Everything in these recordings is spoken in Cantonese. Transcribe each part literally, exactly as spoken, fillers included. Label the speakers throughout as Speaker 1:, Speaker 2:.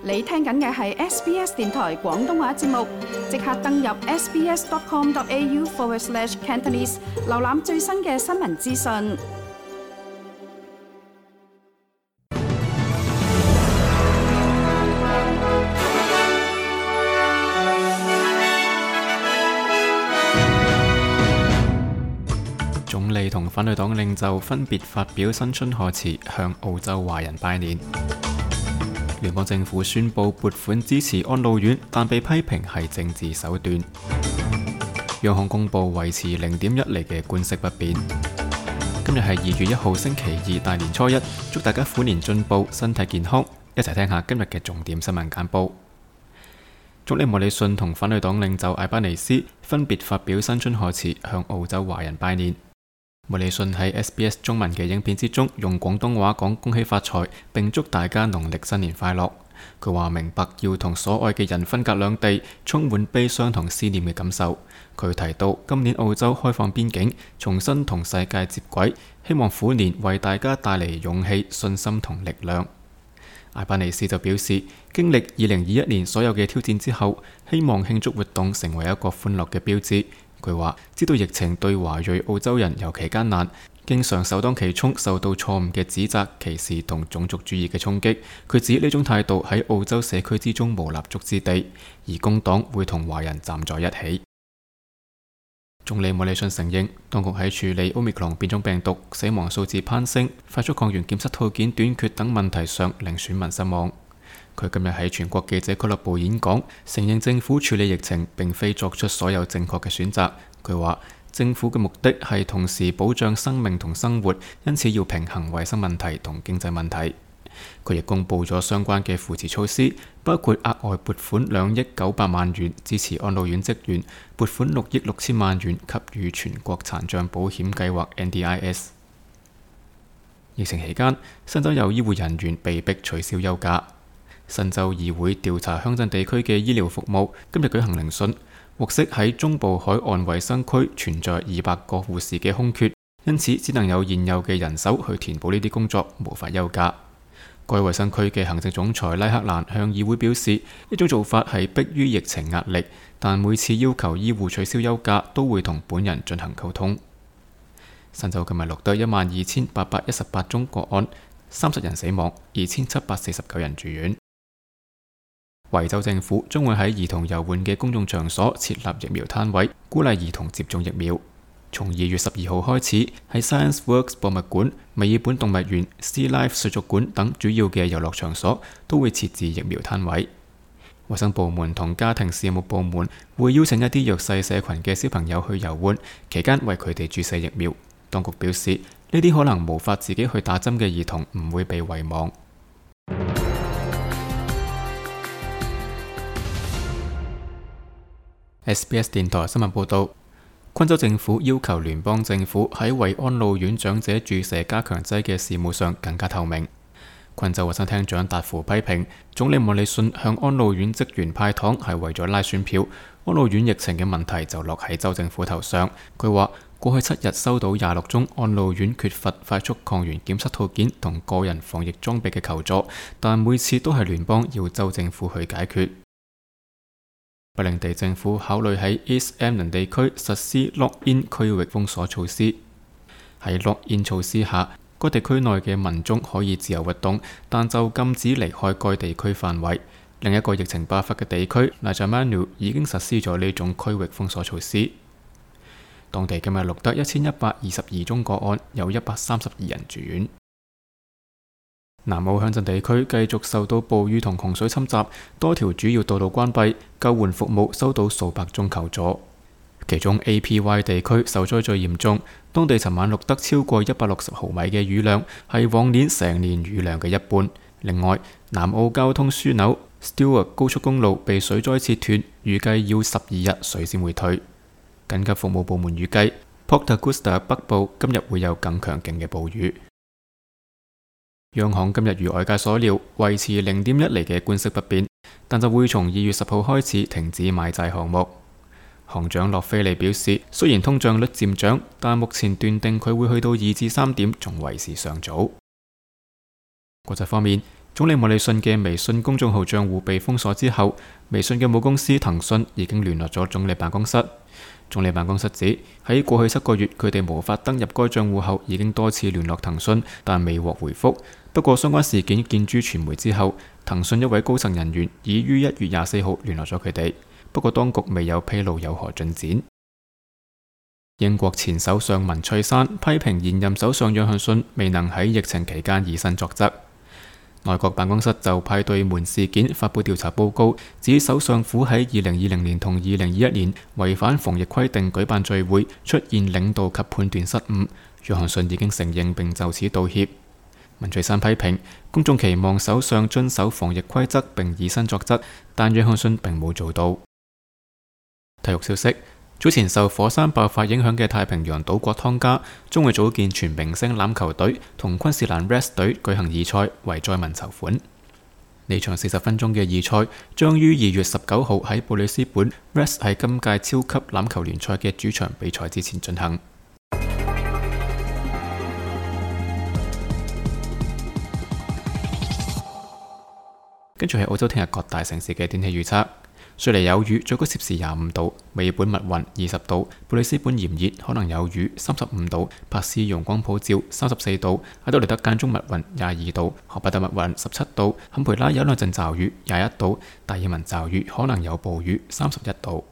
Speaker 1: 你聽緊嘅係 S B S 電台廣東話節目，即刻登入 sbs.com.au forward slash Cantonese， 瀏覽最新嘅新聞資訊。
Speaker 2: 總理同反對黨領袖分別發表新春賀詞，向澳洲華人拜年。聯邦政府宣布撥款支持安老院，但被批評係政治手段。央行公布維持零點一厘嘅官息不變。今日係二月一號星期二，大年初一，祝大家虎年進步，身體健康。一齊聽下今日嘅重點新聞簡報。總理莫里遜同反對黨領袖艾巴尼斯分別發表新春賀詞，向澳洲華人拜年。莫里遜喺 S B S 中文嘅影片之中用廣東話講恭喜發財，並祝大家農曆新年快樂。佢話明白要同所愛嘅人分隔兩地，充滿悲傷同思念嘅感受。佢提到今年澳洲開放邊境，重新同世界接軌，希望虎年為大家帶嚟勇氣、信心同力量。艾巴尼斯就表示，經歷二零二一年所有嘅挑戰之後，希望慶祝活動成為一個歡樂嘅標誌。佢話知道疫情對華裔澳洲人尤其艱難，經常首當其衝受到錯誤嘅指責、歧視同種族主義嘅衝擊。佢指呢種態度喺澳洲社區之中無立足之地，而工黨會同華人站在一起。總理莫里遜承認，當局喺處理 Omicron 變種病毒、死亡數字攀升、快速抗原檢測套件短缺等問題上令選民失望。佢今日喺全國記者俱樂部演講，承認政府處理疫情並非作出所有正確嘅選擇。佢話政府嘅目的係同時保障生命同生活，因此要平衡衛生問題同經濟問題。佢亦公布咗相關嘅扶持措施，包括額外撥款兩億九百萬元支持安老院職員，撥款六億六千萬元給予全國殘障保險計劃 N D I S。 疫情期間，新州有醫護人員被迫取消休假。新州議會調查鄉鎮地區嘅醫療服務，今日舉行聆訊，獲悉喺中部海岸衛生區存在二百個護士嘅空缺，因此只能有現有嘅人手去填補呢啲工作，無法休假。該衛生區嘅行政總裁拉克蘭向議會表示，呢種做法係迫於疫情壓力，但每次要求醫護取消休假都會同本人進行溝通。新州今日錄得一萬二千八百一十八宗個案，三十人死亡，二千七百四十九人住院。維州政府將會喺兒童遊玩嘅公眾場所設立疫苗攤位，鼓勵兒童接種疫苗。從二月十二號開始，喺 Science Works 博物館、墨爾本動物園、Sea Life 水族館等主要嘅遊樂場所都會設置疫苗攤位。衛生部門同家庭事務部門會邀請一啲弱勢社群嘅小朋友去遊玩，期間為佢哋注射疫苗。當局表示，呢啲可能無法自己去打針嘅兒童唔會被遺忘。S B S 電台新聞報道，昆州政府要求聯邦政府喺為安老院長者注射加強劑嘅事務上更加透明。昆州衛生廳長達芙批評總理莫里遜向安老院職員派糖係為咗拉選票，安老院疫情嘅問題就落喺州政府頭上。佢話過去七日收到廿六宗安老院缺乏快速抗原檢測套件同個人防疫裝備嘅求助，但每次都係聯邦要州政府去解決。北領地政府考慮喺 East Emlyn 地區實施 lock-in 區域封鎖措施。喺 lock-in 措施下，該地區內嘅民眾可以自由活動，但就禁止離開該地區範圍。另一個疫情爆發嘅地區 Najamanu 已經實施咗呢種區域封鎖措施。當地今日錄得一千一百二十二宗個案，有一百三十二人住院。南澳鄉鎮地區繼續受到暴雨同洪水侵襲，多條主要道路關閉，救援服務收到數百宗求助。其中 A P Y 地區受災最嚴重，當地尋晚錄得超過一百六十毫米嘅雨量，係往年成年雨量嘅一半。另外，南澳交通樞紐 Stewart 高速公路被水災切斷，預計要十二日水先會退。緊急服務部門預計 Port Augusta 北部今日會有更強勁嘅暴雨。央行今日如外界所料，維持零點一厘嘅官息不變，但就會從二月十號開始停止買債項目。行長洛菲利表示，雖然通脹率漸漲，但目前斷定佢會去到二至三點仲為時尚早。國際方面，總理莫里遜嘅微信公眾號賬戶被封鎖之後，微信嘅母公司騰訊已經聯絡咗總理辦公室。總理辦公室指喺過去七個月，佢哋無法登入該賬戶後，已經多次聯絡騰訊，但未獲回覆。不過相關事件見諸傳媒之後，騰訊一位高層人員已於一月廿四號聯絡咗佢哋，不過當局未有披露有何進展。英國前首相文翠珊批評現任首相約翰遜未能喺疫情期間以身作則。內閣辦公室就派對門事件發布調查報告，指首相府喺二零二零年同二零二一年違反防疫規定舉辦聚會，出現領導及判斷失誤。約翰遜已經承認並就此道歉。文翠珊批評公眾期望首相遵守防疫規則並以身作則，但約翰遜並冇做到。體育消息：早前受火山爆發影響嘅太平洋島國湯加將會組建全明星欖球隊，同昆士蘭 Reds 隊舉行義賽，為災民籌款。呢場四十分鐘嘅義賽將於二月十九號喺布里斯本 Reds 喺今屆超級欖球聯賽嘅主場比賽之前進行。跟住係澳洲聽日各大城市嘅天氣預測。雪梨有雨，最高攝氏廿五度；墨爾本密雲，二十度；布里斯本炎熱，可能有雨，三十五度；珀斯陽光普照，三十四度；阿德萊德間中密雲，廿二度；荷伯特密雲，十七度；坎培拉有兩陣驟雨，廿一度；達爾文驟雨，可能有暴雨，三十一度。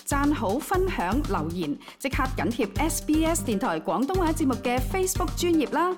Speaker 1: 讚好、分享、留言，即刻緊貼 S B S 電台廣東話節目嘅 Facebook 專頁啦！